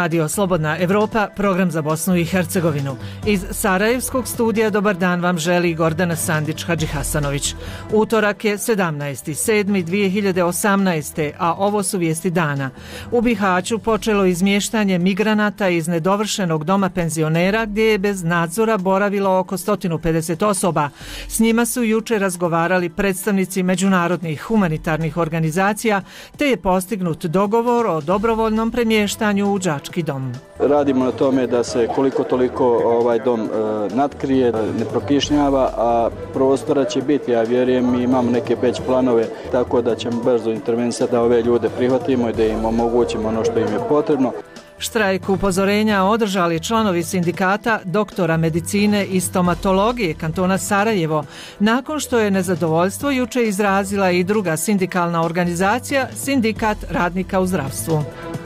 Radio Slobodna Evropa, program za Bosnu i Hercegovinu. Iz Sarajevskog studija dobar dan vam želi Gordana Sandić-Hadžihasanović. Utorak je 17.7.2018. a ovo su vijesti dana. U Bihaću počelo izmještanje migranata iz nedovršenog doma penzionera gdje je bez nadzora boravilo oko 150 osoba. S njima su jučer razgovarali predstavnici međunarodnih humanitarnih organizacija te je postignut dogovor o dobrovoljnom premještanju u đački dom. Radimo na tome da se koliko toliko ovaj dom natkrije, ne prokišnjava, a prostora će biti, ja vjerujem, mi imamo neke već planove, tako da ćemo brzo intervenisati da ove ljude prihvatimo i da im omogućimo ono što im je potrebno. Štrajk upozorenja održali članovi sindikata doktora medicine i stomatologije kantona Sarajevo, nakon što je nezadovoljstvo juče izrazila i druga sindikalna organizacija, Sindikat radnika u zdravstvu.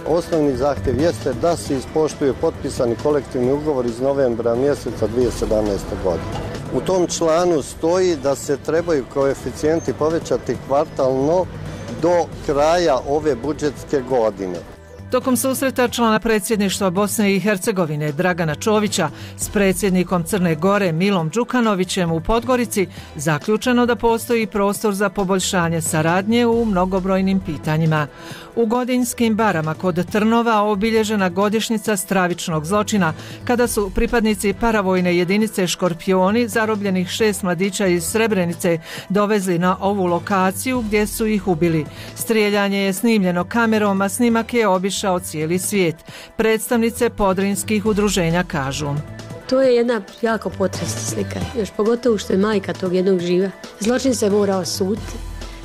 Osnovni zahtjev jeste da se ispoštuje potpisani kolektivni ugovor iz novembra mjeseca 2017. godine. U tom članu stoji da se trebaju koeficijenti povećati kvartalno do kraja ove budžetske godine. Tokom susreta člana predsjedništva Bosne i Hercegovine Dragana Čovića s predsjednikom Crne Gore Milom Đukanovićem u Podgorici zaključeno da postoji prostor za poboljšanje saradnje u mnogobrojnim pitanjima. U Godinskim barama kod Trnova obilježena godišnjica stravičnog zločina kada su pripadnici paravojne jedinice Škorpioni zarobljenih 6 mladića iz Srebrenice dovezli na ovu lokaciju gdje su ih ubili. Strijeljanje je snimljeno kamerom, a snimak je obišao cijeli svijet. Predstavnice podrinskih udruženja kažu: to je jedna jako potresna slika, još pogotovo što je majka tog jednog živa. Zločin se mora osuditi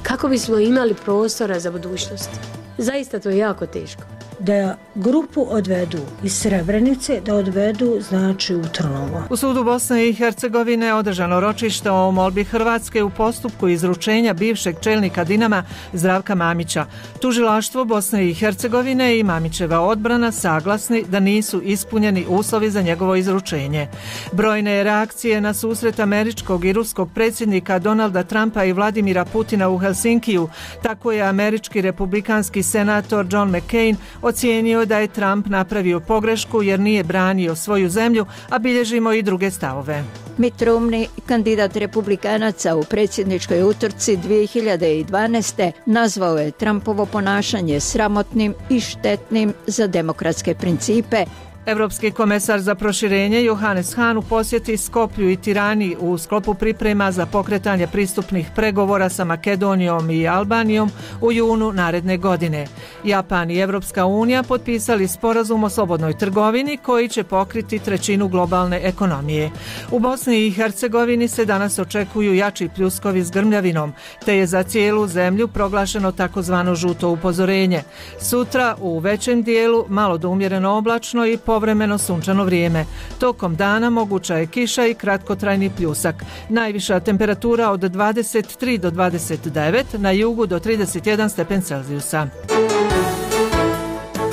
kako bismo imali prostora za budućnost. Zaista to je jako teško. Da grupu odvedu iz Srebrenice, da odvedu znači u Trnovo. U sudu Bosne i Hercegovine održano ročište o molbi Hrvatske u postupku izručenja bivšeg čelnika Dinama Zdravka Mamića. Tužilaštvo Bosne i Hercegovine i Mamićeva odbrana saglasni da nisu ispunjeni uslovi za njegovo izručenje. Brojne reakcije na susret američkog i ruskog predsjednika Donalda Trumpa i Vladimira Putina u Helsinkiju. Tako je američki republikanski senator John McCain ocijenio da je Trump napravio pogrešku jer nije branio svoju zemlju, a bilježimo i druge stavove. Mitt Romney, kandidat republikanaca u predsjedničkoj utrci 2012. nazvao je Trumpovo ponašanje sramotnim i štetnim za demokratske principe. Evropski komesar za proširenje Johannes Hahn u posjeti Skoplju i Tirani u sklopu priprema za pokretanje pristupnih pregovora sa Makedonijom i Albanijom u junu naredne godine. Japan i Evropska unija potpisali sporazum o slobodnoj trgovini koji će pokriti trećinu globalne ekonomije. U Bosni i Hercegovini se danas očekuju jači pljuskovi s grmljavinom, te je za cijelu zemlju proglašeno takozvano žuto upozorenje. Sutra u većem dijelu malo do umjereno oblačno i povremeno sunčano vrijeme. Tokom dana moguća je kiša i kratkotrajni pljusak. Najviša temperatura od 23 do 29, na jugu do 31 stepen Celzijusa.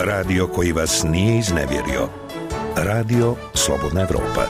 Radio koji vas nije iznevjerio. Radio Slobodna Evropa.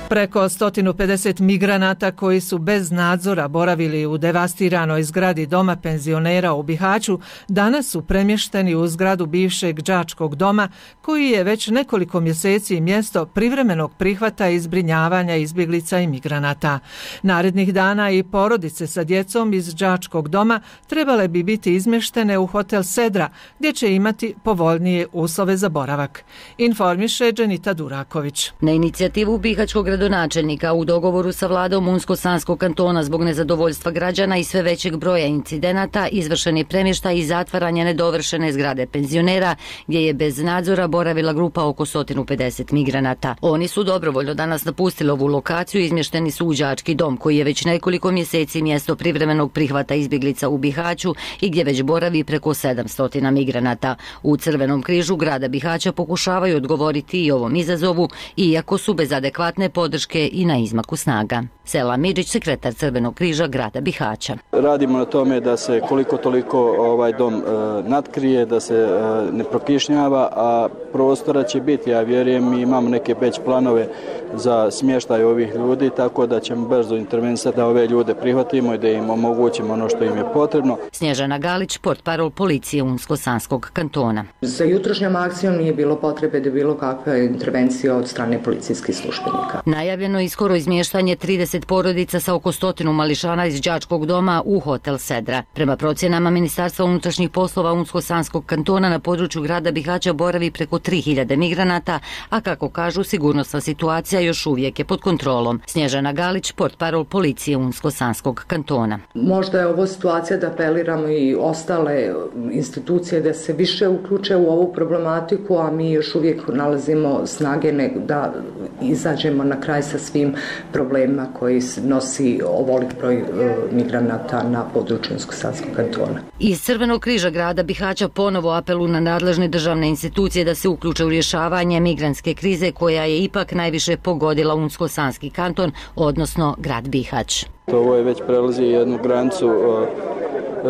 Preko 150 migranata koji su bez nadzora boravili u devastiranoj zgradi doma penzionera u Bihaću danas su premješteni u zgradu bivšeg đačkog doma koji je već nekoliko mjeseci mjesto privremenog prihvata i zbrinjavanja izbjeglica i migranata. Narednih dana i porodice sa djecom iz đačkog doma trebale bi biti izmještene u hotel Sedra gdje će imati povoljnije uslove za boravak. Informiše Dženita Duraković. Na inicijativu bihaćkog gradonačelnika u dogovoru sa vladom Unsko-Sanskog kantona zbog nezadovoljstva građana i sve većeg broja incidenata izvršen je premještaj i zatvaranje nedovršene zgrade penzionera gdje je bez nadzora boravila grupa oko 150 migranata. Oni su dobrovoljno danas napustili ovu lokaciju i izmješteni su u đački dom koji je već nekoliko mjeseci mjesto privremenog prihvata izbjeglica u Bihaću i gdje već boravi preko 700 migranata. U Crvenom križu grada Bihaća pokušavaju odgovoriti i ovom izazovu, iako su bez adekvatne podrške i na izmaku snaga. Sela Midžić, sekretar Crvenog križa grada Bihaća. Radimo na tome da se koliko toliko ovaj dom natkrije, da se ne prokišnjava, a prostora će biti, ja vjerujem, mi imamo neke već planove za smještaj ovih ljudi, tako da ćemo brzo intervenisati da ove ljude prihvatimo i da im omogućimo ono što im je potrebno. Snježana Galić, portparol policije Unsko-Sanskog kantona. Za jutrošnjom akcijom nije bilo potrebe da bilo kakva intervencija od strane policijskih službenika. Najavljeno je skoro izmještanje 30 porodica sa oko 100 mališana iz đačkog doma u hotel Sedra. Prema procjenama Ministarstva unutrašnjih poslova Unsko-Sanskog kantona na području grada Bihaća boravi preko 3000 migranata, a kako kažu, sigurnosna situacija još uvijek je pod kontrolom. Snježana Galić, portparol policije Unsko-Sanskog kantona. Možda je ovo situacija da apeliramo i ostale institucije da se više uključe u ovu problematiku, a mi još uvijek nalazimo snage da izađemo na kraj sa svim problemima koji nosi ovolik broj migranata na području Unsko-Sanskog kantona. Iz Crvenog križa grada Bihaća ponovo apelu na nadležne državne institucije da se uključe u rješavanje migrantske krize koja je ipak najviše pogodila Unsko-Sanski kanton, odnosno grad Bihać. Ovo je već prelazi jednu granicu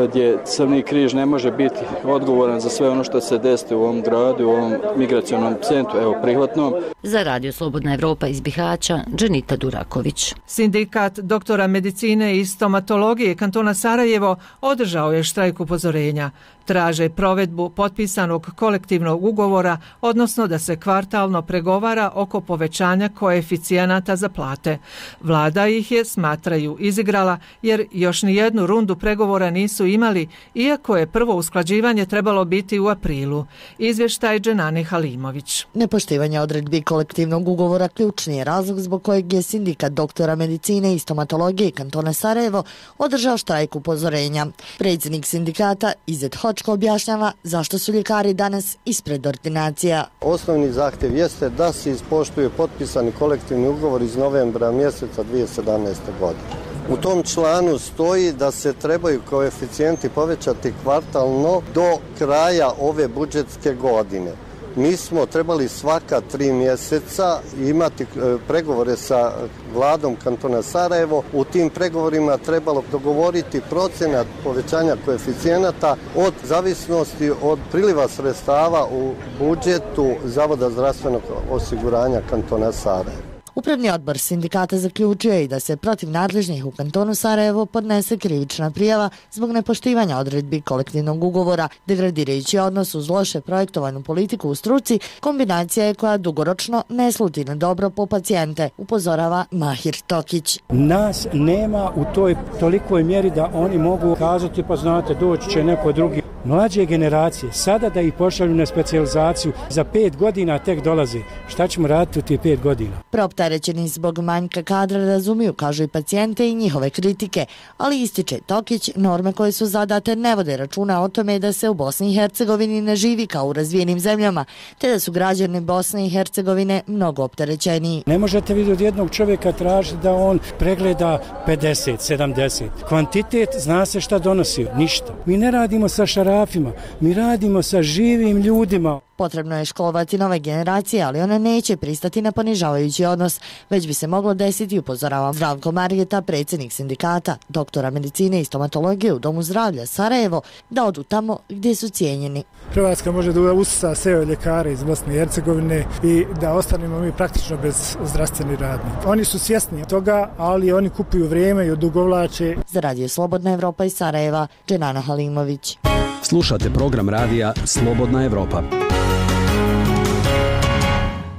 gdje Crveni križ ne može biti odgovoran za sve ono što se desi u ovom gradu, u ovom migracionom centru, evo prihvatnom. Za Radio Slobodna Evropa iz Bihaća, Dženita Duraković. Sindikat doktora medicine i stomatologije kantona Sarajevo održao je štrajk upozorenja. Traže provedbu potpisanog kolektivnog ugovora, odnosno da se kvartalno pregovara oko povećanja koeficijenata za plate. Vlada ih je, smatraju, izigrala jer još ni jednu rundu pregovora nisu imali, iako je prvo usklađivanje trebalo biti u aprilu. Izvještaj Dženane Halimović. Nepoštivanje odredbi kolektivnog ugovora ključni je razlog zbog kojeg je sindikat doktora medicine i stomatologije kantona Sarajevo održao štrajk upozorenja. Predsjednik sindikata Izet Hočko objašnjava zašto su ljekari danas ispred ordinacija. Osnovni zahtjev jeste da se ispoštuje potpisani kolektivni ugovor iz novembra mjeseca 2017. godine. U tom članu stoji da se trebaju koeficijenti povećati kvartalno do kraja ove budžetske godine. Mi smo trebali svaka 3 mjeseca imati pregovore sa vladom kantona Sarajevo. U tim pregovorima trebalo dogovoriti procenat povećanja koeficijenata od zavisnosti od priliva sredstava u budžetu Zavoda zdravstvenog osiguranja kantona Sarajevo. Upravni odbor sindikata zaključio je i da se protiv nadležnih u kantonu Sarajevo podnese krivična prijava zbog nepoštivanja odredbi kolektivnog ugovora. Degradirajući odnos uz loše projektovanu politiku u struci kombinacija je koja dugoročno ne sluti na dobro po pacijente, upozorava Mahir Tokić. Nas nema u toj tolikoj mjeri da oni mogu kazati pa znate doći će neko drugi. Mlađe generacije, sada da ih pošalju na specijalizaciju, za 5 godina tek dolaze. Šta ćemo raditi u tih 5 godina? Preopterećeni zbog manjka kadra razumiju, kažu i pacijente i njihove kritike, ali ističe Tokić, norme koje su zadate ne vode računa o tome da se u Bosni i Hercegovini ne živi kao u razvijenim zemljama, te da su građani Bosne i Hercegovine mnogo opterećeniji. Ne možete vidjeti od jednog čovjeka tražiti da on pregleda 50, 70. Kvantitet zna se šta donosi, ništa. Mi ne radimo sa šarafima, mi radimo sa živim ljudima. Potrebno je školovati nove generacije, ali ona neće pristati na ponižavajući odnos, već bi se moglo desiti, upozorava Zdravko Margeta, predsjednik sindikata doktora medicine i stomatologije u Domu zdravlja Sarajevo, da odu tamo gdje su cijenjeni. Hrvatska može da usisa sve ljekare iz Bosne i Hercegovine i da ostanemo mi praktično bez zdravstvenih radnika. Oni su svjesni toga, ali oni kupuju vrijeme i odugovlače. Za Radio Slobodna Evropa iz Sarajeva, Dženana Halimović. Slušate program radija Slobodna Evropa.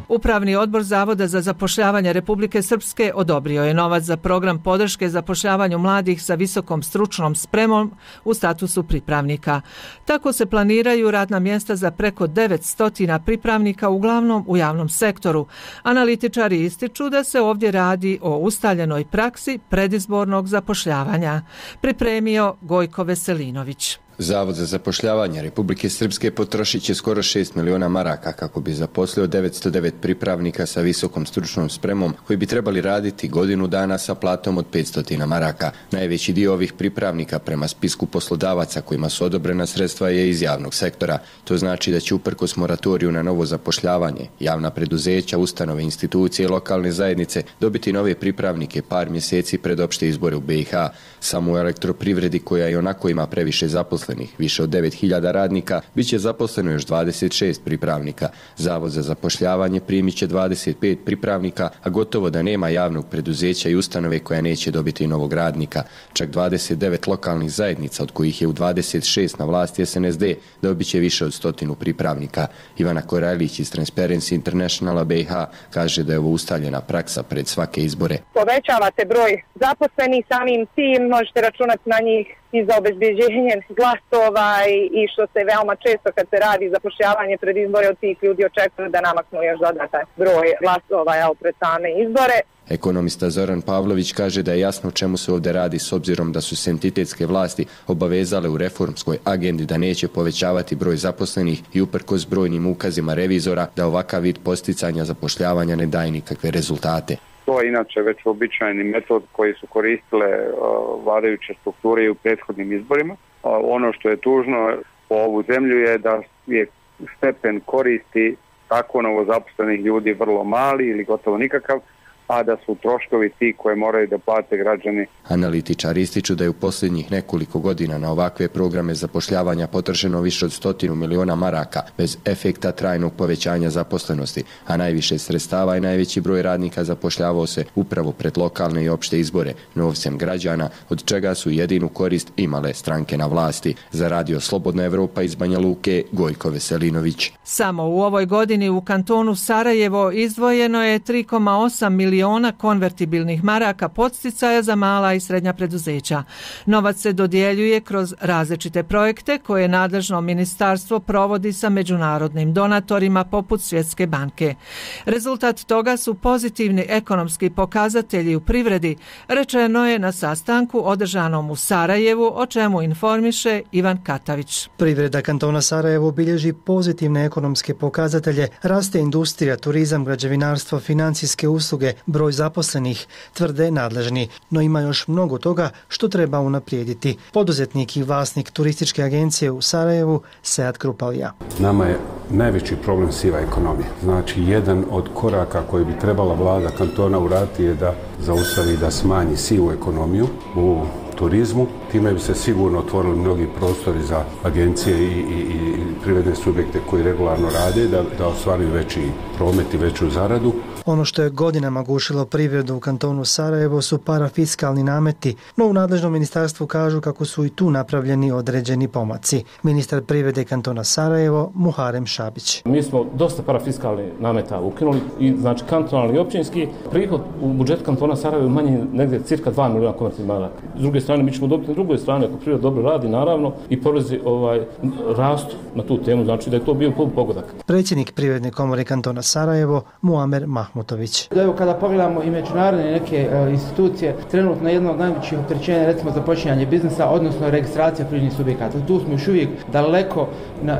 Upravni odbor Zavoda za zapošljavanje Republike Srpske odobrio je novac za program podrške zapošljavanju mladih sa visokom stručnom spremom u statusu pripravnika. Tako se planiraju radna mjesta za preko 900 pripravnika, uglavnom u javnom sektoru. Analitičari ističu da se ovdje radi o ustaljenoj praksi predizbornog zapošljavanja. Pripremio Gojko Veselinović. Zavod za zapošljavanje Republike Srpske potrošit će skoro 6 miliona maraka kako bi zaposlio 909 pripravnika sa visokom stručnom spremom koji bi trebali raditi godinu dana sa platom od 500 maraka. Najveći dio ovih pripravnika prema spisku poslodavaca kojima su odobrena sredstva je iz javnog sektora. To znači da će uprkos moratoriju na novo zapošljavanje javna preduzeća, ustanove, institucije i lokalne zajednice dobiti nove pripravnike par mjeseci pred opšte izbore u BiH. Samo u elektroprivredi koja i onako ima previše zaposlenih, više od 9.000 radnika, bit će zaposleno još 26 pripravnika. Zavod za zapošljavanje primit će 25 pripravnika, a gotovo da nema javnog preduzeća i ustanove koja neće dobiti novog radnika. Čak 29 lokalnih zajednica, od kojih je u 26 na vlasti SNSD, dobit će više od 100 pripravnika. Ivana Korajlić iz Transparency Internationala BiH kaže da je ovo ustaljena praksa pred svake izbore. Povećavate broj zaposlenih, samim tim možete računati na njih i za obezbeđenje glasova i što se veoma često kad se radi zapošljavanje pred izbore od tih ljudi očekuju da namaknu još dodatan broj glasova pred same izbore. Ekonomista Zoran Pavlović kaže da je jasno o čemu se ovdje radi s obzirom da su se entitetske vlasti obavezale u reformskoj agendi da neće povećavati broj zaposlenih i uprkos brojnim ukazima revizora da ovakav vid posticanja zapošljavanja ne daje nikakve rezultate. To je inače već uobičajeni metod koji su koristile vladajuće strukture i u prethodnim izborima. Ono što je tužno po ovu zemlju je da je stepen koristi tako novozaposlenih ljudi vrlo mali ili gotovo nikakav, a da su troškovi ti koje moraju da plate građani. Analitičari ističu da je u posljednjih nekoliko godina na ovakve programe zapošljavanja potrošeno više od 100 miliona maraka bez efekta trajnog povećanja zaposlenosti, a najviše sredstava i najveći broj radnika zapošljavao se upravo pred lokalne i opšte izbore novcem građana, od čega su jedinu korist imale stranke na vlasti. Za Radio Slobodna Evropa iz Banja Luke, Gojko Veselinović. Samo u ovoj godini u kantonu Sarajevo izdvojeno je 3,8 miliona konvertibilnih maraka podsticaja za mala i srednja preduzeća. Novac se dodjeljuje kroz različite projekte koje nadležno ministarstvo provodi sa međunarodnim donatorima poput Svjetske banke. Rezultat toga su pozitivni ekonomski pokazatelji u privredi, rečeno je na sastanku održanom u Sarajevu, o čemu informiše Ivan Katavić. Privreda kantona Sarajevo bilježi pozitivne ekonomske pokazatelje, raste industrija, turizam, građevinarstvo, financijske usluge, broj zaposlenih, tvrde nadležni, no ima još mnogo toga što treba unaprijediti. Poduzetnik i vlasnik turističke agencije u Sarajevu, Sead Krupalija. Nama je najveći problem siva ekonomija. Znači, jedan od koraka koji bi trebala vlada kantona uraditi je da zaustavi, da smanji sivu ekonomiju u turizmu. Time bi se sigurno otvorili mnogi prostori za agencije i privredne subjekte koji regularno rade, da ostvaruju veći promet i veću zaradu. Ono što je godinama gušilo privredu u kantonu Sarajevo su parafiskalni nameti, no u nadležnom ministarstvu kažu kako su i tu napravljeni određeni pomaci. Ministar privrede kantona Sarajevo, Muharem Šabić. Mi smo dosta parafiskalnih nameta ukinuli i znači kantonalni i općinski. Prihod u budžetu kantona Sarajevo manji negdje cirka 2 miliona konvertibilnih maraka. S druge strane, mi ćemo dobiti na drugoj strani, ako privreda dobro radi, naravno, i porezi rastu na tu temu, znači da je to bio pogodak. Predsjednik Privredne komore kantona Sarajevo, Muamer Mahmutović. Evo, kada pogledamo i međunarodne neke institucije, trenutno jedno od najvećih opterećenja, recimo započinjanje biznisa, odnosno registracija privrednih subjekata. Tu smo još uvijek daleko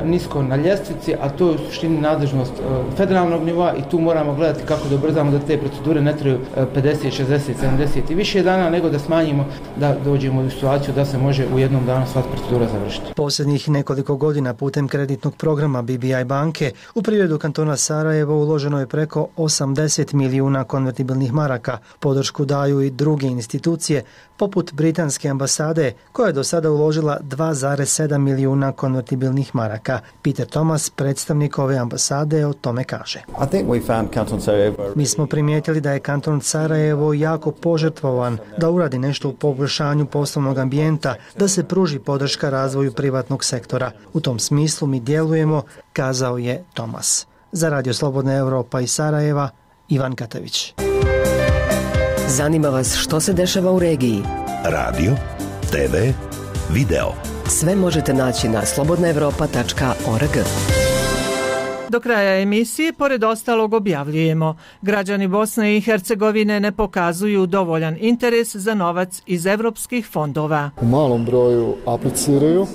nisko na ljestvici, a to je u suštini nadležnost federalnog nivoa i tu moramo gledati kako da ubrzamo da te procedure ne traju 50, 60, 70 i više dana, nego da smanjimo, da dođemo u situaciju da se može u jednom danu sva procedura završiti. Posljednjih nekoliko godina putem kreditnog programa BBI banke u privredu kantona Sarajevo uloženo je preko 80 milijuna konvertibilnih maraka. Podršku daju i druge institucije, poput Britanske ambasade, koja je do sada uložila 2,7 milijuna konvertibilnih maraka. Peter Thomas, predstavnik ove ambasade, o tome kaže. Mi smo primijetili da je kanton Sarajevo jako požrtvovan da uradi nešto u poboljšanju poslovnog ambijenta, da se pruži podrška razvoju privatnog sektora. U tom smislu mi djelujemo, kazao je Thomas. Za Radio Slobodna Evropa iz Sarajeva, Ivan Katavić. Zanima vas što se dešava u regiji? Radio, TV, video. Sve možete naći na slobodnaevropa.org. Do kraja emisije, pored ostalog, objavljujemo: građani Bosne i Hercegovine ne pokazuju dovoljan interes za novac iz evropskih fondova. U malom broju apliciraju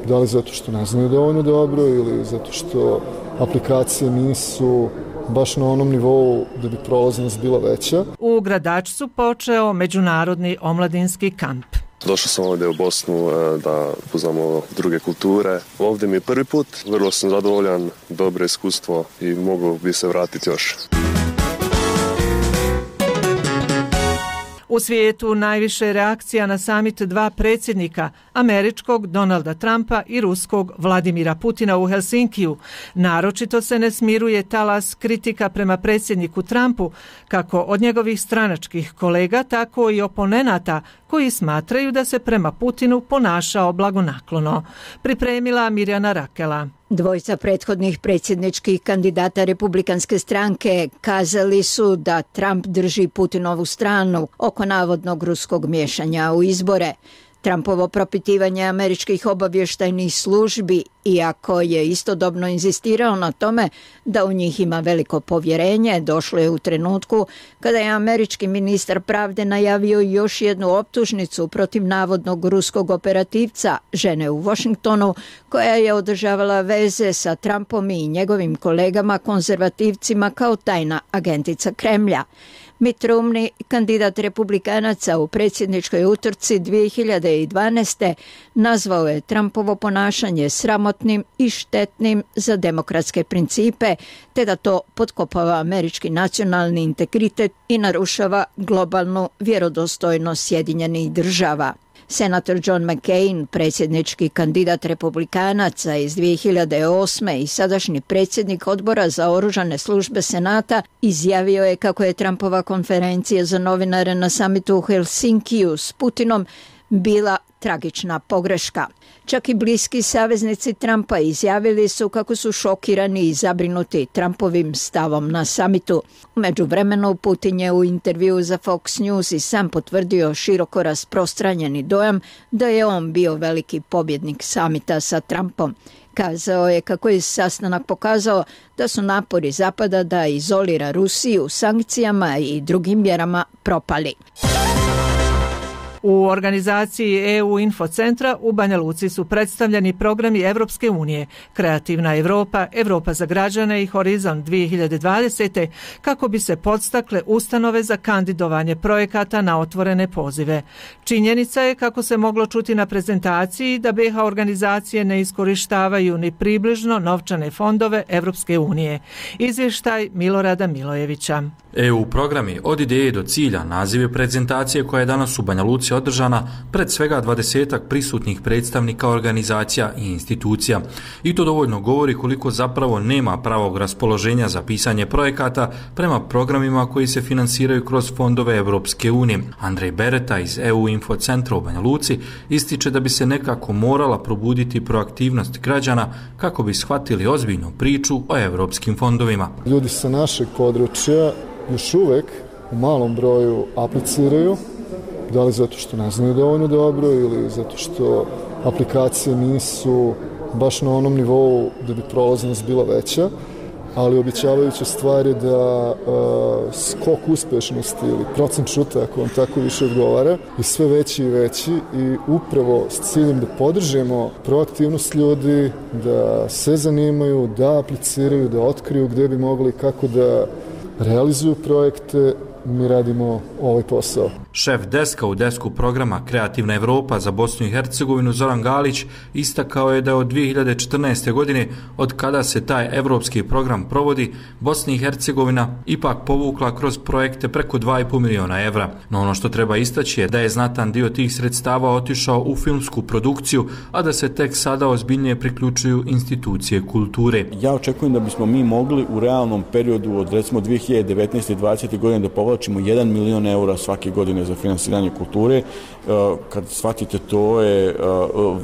Da li zato što ne znaju dovoljno dobro ili zato što aplikacije nisu baš na onom nivou da bi prolaznost bila veća. U Gradačcu počeo međunarodni omladinski kamp. Došao sam ovdje u Bosnu da upoznamo druge kulture. Ovdje mi je prvi put, vrlo sam zadovoljan, dobro iskustvo i mogu bi se vratiti još. U svijetu najviše reakcija na samit dva predsjednika, američkog Donalda Trumpa i ruskog Vladimira Putina u Helsinkiju. Naročito se ne smiruje talas kritika prema predsjedniku Trumpu, kako od njegovih stranačkih kolega, tako i oponenata koji smatraju da se prema Putinu ponašao blagonaklono. Pripremila Mirjana Rakela. Dvojica prethodnih predsjedničkih kandidata Republikanske stranke kazali su da Trump drži Putinovu stranu oko navodnog ruskog miješanja u izbore. Trumpovo propitivanje američkih obavještajnih službi, iako je istodobno inzistirao na tome da u njih ima veliko povjerenje, došlo je u trenutku kada je američki ministar pravde najavio još jednu optužnicu protiv navodnog ruskog operativca, žene u Washingtonu, koja je održavala veze sa Trumpom i njegovim kolegama konzervativcima kao tajna agentica Kremlja. Mitt Romney, kandidat republikanaca u predsjedničkoj utrci 2012. nazvao je Trumpovo ponašanje sramotnim i štetnim za demokratske principe, te da to potkopava američki nacionalni integritet i narušava globalnu vjerodostojnost Sjedinjenih država. Senator John McCain, predsjednički kandidat republikanaca iz 2008. i sadašnji predsjednik odbora za oružane službe Senata, izjavio je kako je Trumpova konferencija za novinare na samitu u Helsinkiju s Putinom bila tragična pogreška. Čak i bliski saveznici Trumpa izjavili su kako su šokirani i zabrinuti Trumpovim stavom na samitu. U međuvremenu Putin je u intervjuu za Fox News i sam potvrdio široko rasprostranjeni dojam da je on bio veliki pobjednik samita sa Trumpom. Kazao je kako je sastanak pokazao da su napori Zapada da izolira Rusiju sankcijama i drugim mjerama propali. U organizaciji EU Infocentra u Banja Luci su predstavljeni programi Evropske unije, Kreativna Evropa, Evropa za građane i Horizont 2020. kako bi se podstakle ustanove za kandidovanje projekata na otvorene pozive. Činjenica je, kako se moglo čuti na prezentaciji, da BiH organizacije ne iskorištavaju ni približno novčane fondove Evropske unije. Izvještaj Milorada Milojevića. EU programi od ideje do cilja naziv je prezentacije koja je danas u Banja Luci održana pred svega 20 prisutnih predstavnika organizacija i institucija. I to dovoljno govori koliko zapravo nema pravog raspoloženja za pisanje projekata prema programima koji se finansiraju kroz fondove Evropske unije. Andrej Bereta iz EU Infocentra u Banja Luci ističe da bi se nekako morala probuditi proaktivnost građana kako bi shvatili ozbiljnu priču o evropskim fondovima. Ljudi sa našeg područja još uvek u malom broju apliciraju, da li zato što ne znaju dovoljno dobro ili zato što aplikacije nisu baš na onom nivou da bi prolaznost bila veća, ali obećavajuća stvar je da skok uspešnosti ili procent šuta, ako vam tako više odgovara, je sve veći i veći i upravo s ciljem da podržimo proaktivnost ljudi, da se zanimaju, da apliciraju, da otkriju gde bi mogli, kako da realizuju projekte, mi radimo ovaj posao. Šef deska u desku programa Kreativna Evropa za Bosnu i Hercegovinu Zoran Galić istakao je da od 2014. godine, od kada se taj evropski program provodi, Bosna i Hercegovina ipak povukla kroz projekte preko 2,5 miliona evra. No ono što treba istaći je da je znatan dio tih sredstava otišao u filmsku produkciju, a da se tek sada ozbiljnije priključuju institucije kulture. Ja očekujem da bismo mi mogli u realnom periodu od recimo 2019. i 2020. godine da povlačimo 1 milion eura svake godine za finansiranje kulture. Kad shvatite, to je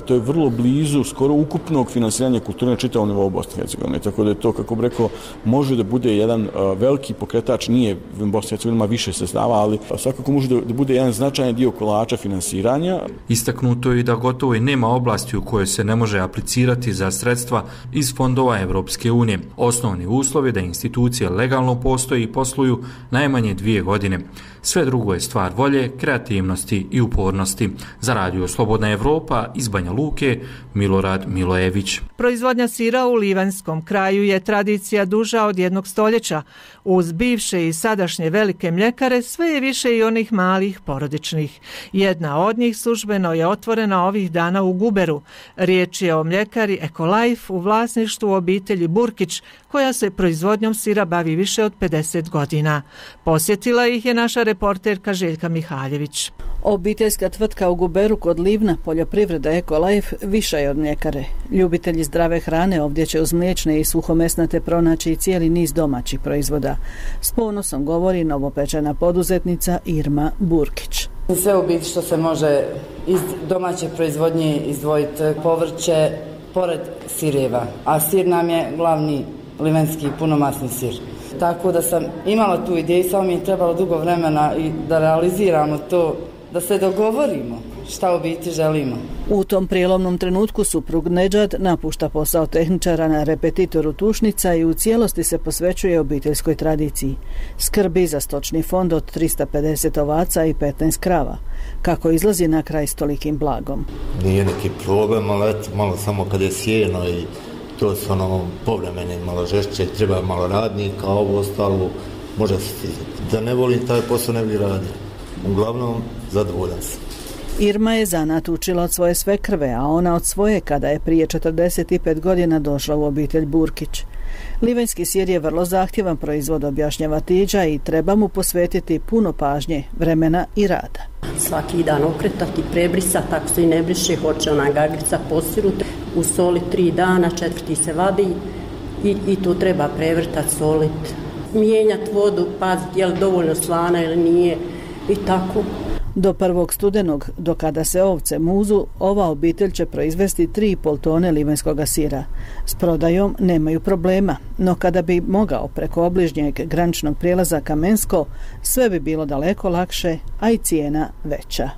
vrlo blizu skoro ukupnog finansiranja kulture na čitavom nivou Bosne i Hercegovine. Tako da je to, kako bih rekao, može da bude jedan veliki pokretač, nije Bosna i Hercegovina ima više sredstava, ali svakako može da bude jedan značajan dio kolača finansiranja. Istaknuto je da gotovo i nema oblasti u kojoj se ne može aplicirati za sredstva iz fondova Evropske unije. Osnovni uslov je da institucije legalno postoje i posluju najmanje 2 godine. Sve drugo je stvar volje volje, kreativnosti i upornosti. Za Radio Slobodna Evropa iz Banja Luke, Milorad Milojević. Proizvodnja sira u Livanjskom kraju je tradicija duža od 1 stoljeća. Uz bivše i sadašnje velike mljekare sve je više i onih malih porodičnih. Jedna od njih službeno je otvorena ovih dana u Guberu. Riječ je o mljekari Ekolife u vlasništvu obitelji Burkić, koja se proizvodnjom sira bavi više od 50 godina. Posjetila ih je naša reporterka Željka Mihaljević. Obiteljska tvrtka u Guberu kod Livna, poljoprivreda Ekolife, viša je od mljekare. Ljubitelji zdrave hrane ovdje će uz mliječne i suhomesnate pronaći i cijeli niz domaćih proizvoda. S ponosom govori novopečena poduzetnica Irma Burkić. Sve u biti što se može iz domaće proizvodnje izdvojiti, povrće, pored sireva. A sir nam je glavni livanjski punomasni sir. Tako da sam imala tu ideju, samo mi je trebalo dugo vremena i da realiziramo to, da se dogovorimo šta u biti želimo. U tom prijelomnom trenutku suprug Nedžad napušta posao tehničara na repetitoru tušnica i u cijelosti se posvećuje obiteljskoj tradiciji. Skrbi za stočni fond od 350 ovaca i 15 krava. Kako izlazi na kraj s tolikim blagom? Nije neki problem, ali eto, malo samo kad je sjeno i to su povremeni, malo žešće, treba malo radnika, a ovo ostalo može se stizati. Da ne volim taj posao ne bi radio. Uglavnom, zadovoljan sam. Irma je zanat učila od svoje svekrve, a ona od svoje kada je prije 45 godina došla u obitelj Burkić. Livanjski sir je vrlo zahtjevan proizvod, objašnjava Tiđa, i treba mu posvetiti puno pažnje, vremena i rada. Svaki dan okretati, prebrisati, ako se i ne briše, hoće ona gagrica posiruti, u soli 3 dana, 4. se vadi i to treba prevrtati, soliti, mijenjati vodu, paziti je li dovoljno slana ili nije i tako. Do 1. studenog, do kada se ovce muzu, ova obitelj će proizvesti 3,5 tone livanjskoga sira. S prodajom nemaju problema, no kada bi mogao preko obližnjeg graničnog prijelaza Kamensko, sve bi bilo daleko lakše, a i cijena veća.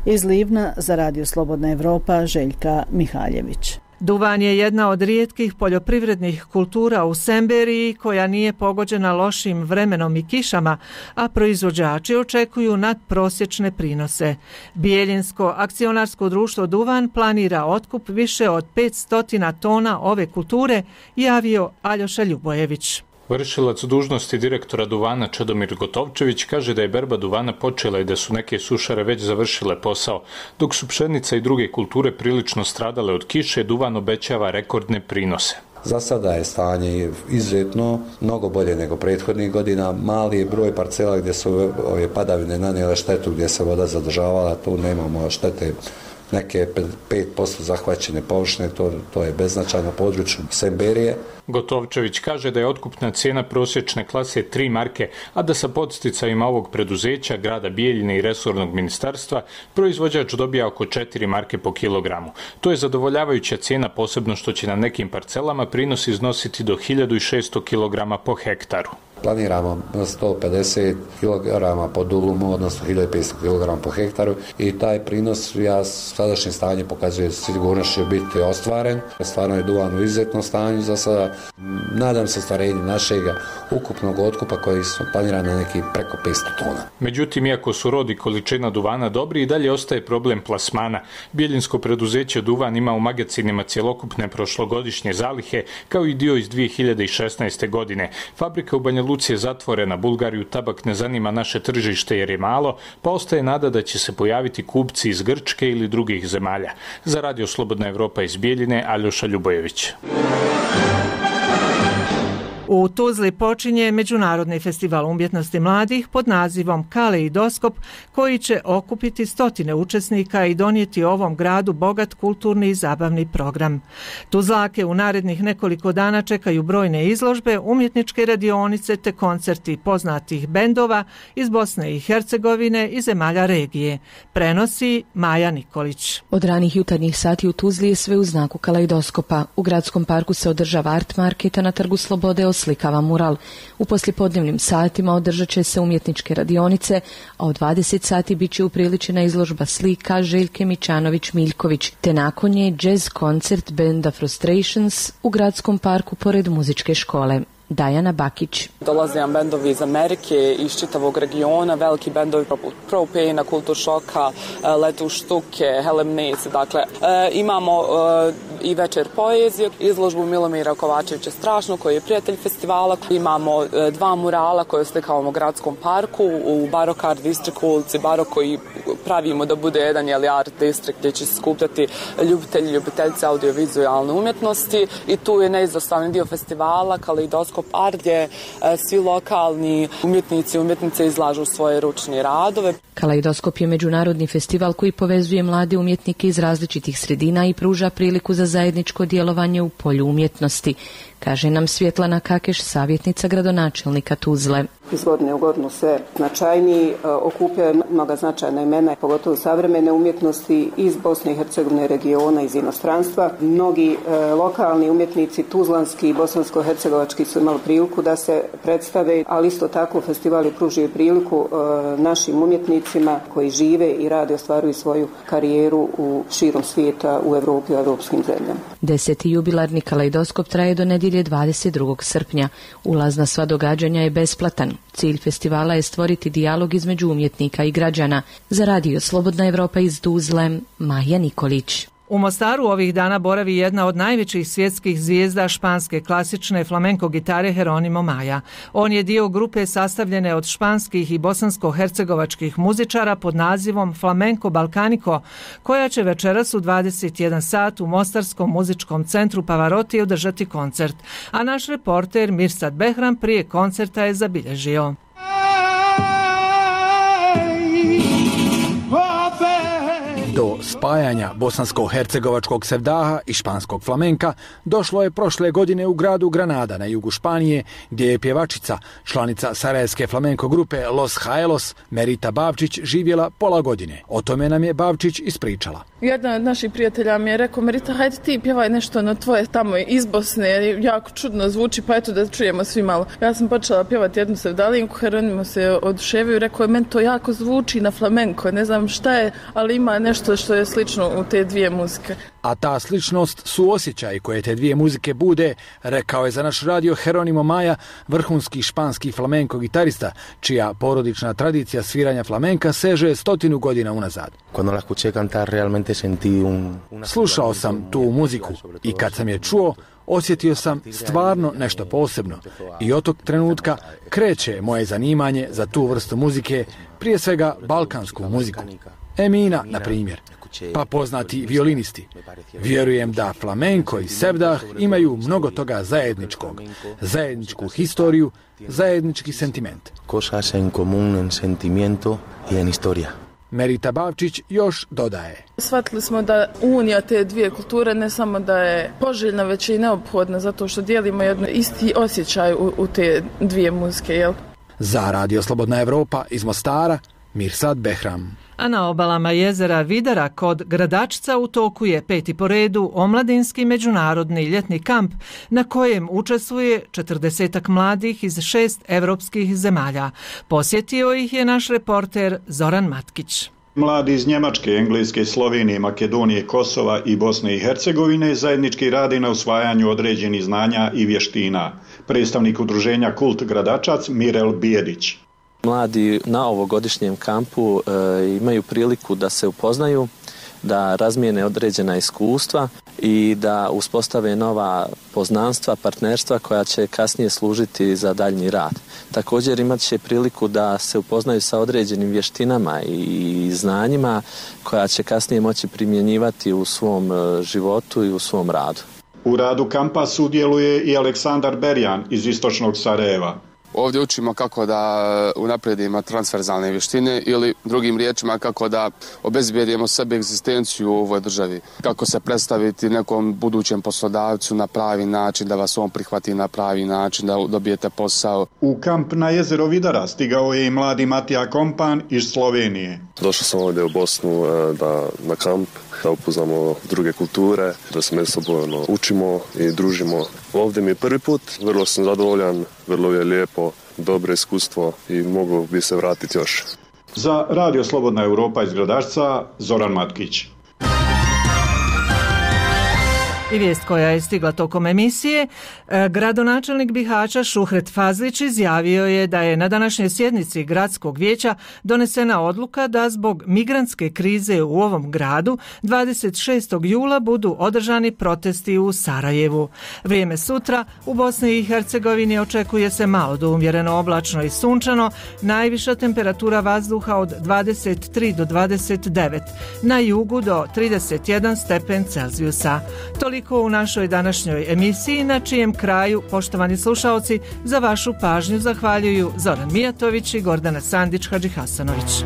Iz Livna za Radio Slobodna Evropa, Željka Mihaljević. Duvan je jedna od rijetkih poljoprivrednih kultura u Semberiji koja nije pogođena lošim vremenom i kišama, a proizvođači očekuju nadprosječne prinose. Bijeljinsko akcionarsko društvo Duvan planira otkup više od 500 tona ove kulture, javio Aljoša Ljubojević. Vršilac dužnosti direktora Duvana Čedomir Gotovčević kaže da je berba duvana počela i da su neke sušare već završile posao. Dok su pšenica i druge kulture prilično stradale od kiše, Duvan obećava rekordne prinose. Za sada je stanje izuzetno mnogo bolje nego prethodnih godina. Mali je broj parcela gdje su ove padavine nanijele štetu, gdje se voda zadržavala, tu nemamo štete. Neke 5% zahvaćene površine, to je beznačajno područje Semberije. Gotovčević kaže da je otkupna cijena prosječne klase 3 marke, a da sa podsticajima ovog preduzeća, grada Bijeljine i resornog ministarstva, proizvođač dobija oko 4 marke po kilogramu. To je zadovoljavajuća cijena, posebno što će na nekim parcelama prinos iznositi do 1600 kg po hektaru. Planiramo 150 kg po dulumu, odnosno 1500 kg po hektaru i taj prinos, sadašnje stanje pokazuje sigurno će biti ostvaren. Stvarno je duvan u izuzetnom stanju za sada. Nadam se ostvarenju našeg ukupnog otkupa koji su planirani na neki preko 500 tona. Međutim, iako su rod i količina duvana dobri, i dalje ostaje problem plasmana. Bijeljinsko preduzeće Duvan ima u magacinima cjelokupne prošlogodišnje zalihe, kao i dio iz 2016. godine. Fabrika u Banja Luci je zatvorena, Bulgariju tabak ne zanima naše tržište jer je malo, pa ostaje nada da će se pojaviti kupci iz Grčke ili drugih zemalja. Za Radio Slobodna Evropa iz Bijeljine, Aljoša Ljubojević. U Tuzli počinje Međunarodni festival umjetnosti mladih pod nazivom Kaleidoskop, koji će okupiti 100 učesnika i donijeti ovom gradu bogat kulturni i zabavni program. Tuzlake u narednih nekoliko dana čekaju brojne izložbe, umjetničke radionice te koncerti poznatih bendova iz Bosne i Hercegovine i zemalja regije. Prenosi Maja Nikolić. Od ranih jutarnjih sati u Tuzli je sve u znaku Kaleidoskopa. U gradskom parku se održava art market, a na Trgu Slobode oslikava mural. U poslijepodnevnim satima održat će se umjetničke radionice, a od 20 sati bit će upriličena izložba slika Željke Mićanović-Miljković, te nakon nje jazz koncert benda Frustrations u gradskom parku pored muzičke škole. Dajana Bakić. Dolaze nam bendovi iz Amerike, iz čitavog regiona, veliki bendovi poput Propane, Kultur Šoka, Letu Štuke, Helemnice. Dakle, imamo i večer poezije, izložbu Milomira Kovačevića Strašno, koji je prijatelj festivala. Imamo 2 murala koje oslikavamo u gradskom parku, u Barok Art District ulici Barok, koji pravimo da bude jedan art district gdje će se skupljati ljubitelji i ljubiteljice audiovizualne umjetnosti. I tu je neizostavni dio festivala, Kaleidoskop Art, gdje svi lokalni umjetnici i umjetnice izlažu svoje ručne radove. Kaleidoskop je međunarodni festival koji povezuje mlade umjetnike iz različitih sredina i pruža priliku za zajedničko djelovanje u polju umjetnosti, kaže nam Svjetlana Kakeš, savjetnica gradonačelnika Tuzle. Iz godine u godinu sve značajniji, okupljaju mnoga značajna imena, pogotovo savremene umjetnosti iz Bosne i Hercegovine, regiona, iz inostranstva. Mnogi lokalni umjetnici, tuzlanski i bosansko-hercegovački, su imali priliku da se predstave, ali isto tako festival je pružio priliku našim umjetnicima koji žive i rade, ostvaruju svoju karijeru u širom svijeta, u Evropi, u evropskim zemljama. 10. jubilarni Kaleidoskop traje do nedjelje 22. srpnja. Ulaz na sva događanja je besplatan. Cilj festivala je stvoriti dijalog između umjetnika i građana. Za Radio Slobodna Evropa iz Tuzle, Maja Nikolić. U Mostaru ovih dana boravi jedna od najvećih svjetskih zvijezda španske klasične flamenko gitare Jeronimo Maja. On je dio grupe sastavljene od španskih i bosansko-hercegovačkih muzičara pod nazivom Flamenco Balcanico, koja će večeras u 21 sat u Mostarskom muzičkom centru Pavarotti održati koncert. A naš reporter Mirsad Behram prije koncerta je zabilježio. Do spajanja bosansko-hercegovačkog sevdaha i španskog flamenka došlo je prošle godine u gradu Granada na jugu Španije, gdje je pjevačica, članica sarajevske flamenko grupe Los Jaelos, Merita Bavčić, živjela pola godine. O tome nam je Bavčić ispričala. Jedan od naših prijatelja mi je rekao: Merita, hajde ti pjevaj nešto na tvoje tamo iz Bosne, jer jako čudno zvuči, pa eto da čujemo svi malo. Ja sam počela pjevati jednu sevdalinku, Jeronimo se oduševio i rekao je: meni to jako zvuči na flamenko, ne znam šta je, ali ima nešto što je slično u te dvije muzike. A ta sličnost su osjećaj koje te dvije muzike bude, rekao je za naš radio Jeronimo Maja, vrhunski španski flamenko gitarista, čija porodična tradicija sviranja flamenka seže 100 godina unazad. Slušao sam tu muziku i kad sam je čuo, osjetio sam stvarno nešto posebno i od tog trenutka kreće moje zanimanje za tu vrstu muzike, prije svega balkansku muziku. Emina, na primjer, pa poznati violinisti. Vjerujem da flamenko i sevdah imaju mnogo toga zajedničkog, zajedničku historiju, zajednički sentiment. Merita Bavčić još dodaje: shvatili smo da unija te dvije kulture ne samo da je poželjna, već i neophodna, zato što dijelimo jedno isti osjećaj u te dvije muzike. Jel? Za Radio Slobodna Evropa iz Mostara, Mirsad Behram. A na obalama jezera Vidara kod Gradačca u toku je 5. po redu omladinski međunarodni ljetni kamp na kojem učestvuje 40 mladih iz 6 evropskih zemalja. Posjetio ih je naš reporter Zoran Matkić. Mladi iz Njemačke, Engleske, Slovenije, Makedonije, Kosova i Bosne i Hercegovine zajednički radi na usvajanju određenih znanja i vještina. Predstavnik udruženja Kult Gradačac Mirel Bijedić. Mladi na ovogodišnjem kampu imaju priliku da se upoznaju, da razmijene određena iskustva i da uspostave nova poznanstva, partnerstva koja će kasnije služiti za daljnji rad. Također imat će priliku da se upoznaju sa određenim vještinama i znanjima koja će kasnije moći primjenjivati u svom životu i u svom radu. U radu kampa sudjeluje i Aleksandar Berjan iz istočnog Sarajeva. Ovdje učimo kako da unaprijedimo transverzalne vještine ili drugim riječima kako da obezbijedimo sebi egzistenciju u ovoj državi. Kako se predstaviti nekom budućem poslodavcu na pravi način, da vas on prihvati na pravi način, da dobijete posao. U kamp na jezero Vidara stigao je i mladi Matija Kompan iz Slovenije. Došao sam ovdje u Bosnu na kamp, da upoznamo druge kulture, da se međusobno učimo i družimo. Ovdje mi je prvi put, vrlo sam zadovoljan, vrlo je lijepo, dobro iskustvo i mogu bi se vratiti još. Za Radio Slobodna Evropa iz Gradačca, Zoran Matkić. I vijest koja je stigla tokom emisije, gradonačelnik Bihaća Šuhret Fazlić izjavio je da je na današnjoj sjednici gradskog vijeća donesena odluka da zbog migrantske krize u ovom gradu 26. jula budu održani protesti u Sarajevu. Vrijeme sutra u Bosni i Hercegovini očekuje se malo do umjereno oblačno i sunčano, najviša temperatura vazduha od 23 do 29, na jugu do 31 stepen Celzijusa. Toliko u našoj današnjoj emisiji, na čijem kraju, poštovani slušaoci, za vašu pažnju zahvaljuju Zoran Mijatović i Gordana Sandić-Hadžihasanović.